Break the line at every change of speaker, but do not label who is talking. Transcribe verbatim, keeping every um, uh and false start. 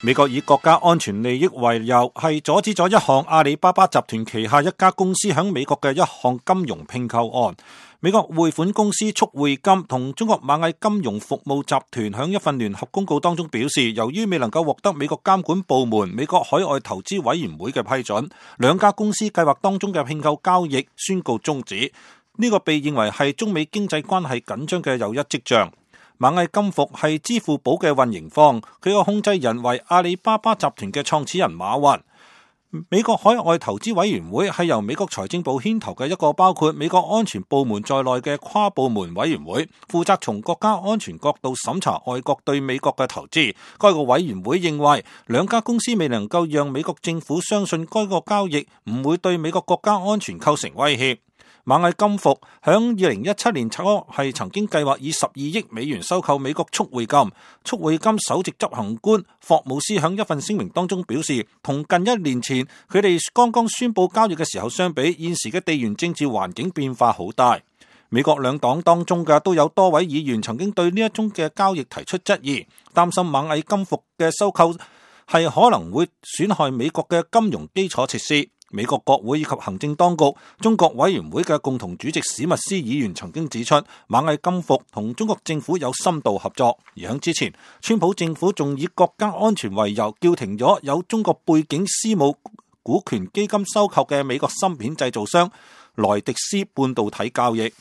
美國以國家安全利益為由，係阻止咗一項阿里巴巴集團旗下一家公司響美國嘅一項金融併購案。美國匯款公司速匯金同中國螞蟻金融服務集團響一份聯合公告當中表示，由於未能夠獲得美國監管部門美國海外投資委員會嘅批准，兩家公司計劃當中嘅併購交易宣告終止。呢個被認為係中美經濟關係緊張嘅又一跡象。螞蟻金服係支付寶嘅運營方，佢個控制人為阿里巴巴集團嘅創始人馬雲。美國海外投資委員會係由美國財政部牽頭嘅一個包括美國安全部門在內嘅跨部門委員會，負責從國家安全角度審查外國對美國嘅投資。該個委員會認為，兩家公司未能夠讓美國政府相信該個交易唔會對美國國家安全構成威脅。螞蟻金服響二零一七年初係曾經計劃以十二億美元收購美國速匯金。速匯金首席執行官霍姆斯響一份聲明當中表示，同近一年前佢哋剛剛宣布交易嘅時候相比，現時嘅地緣政治環境變化好大。美國兩黨當中嘅都有多位議員曾經對呢一宗嘅交易提出質疑，擔心螞蟻金服嘅收購係可能會損害美國嘅金融基礎設施。美國國會以及行政當局中國委員會嘅共同主席史密斯議員曾經指出，螞蟻金服同中國政府有深度合作。而喺之前，川普政府仲以國家安全為由，叫停咗有中國背景私募股權基金收購嘅美國芯片製造商萊迪斯半導體交易。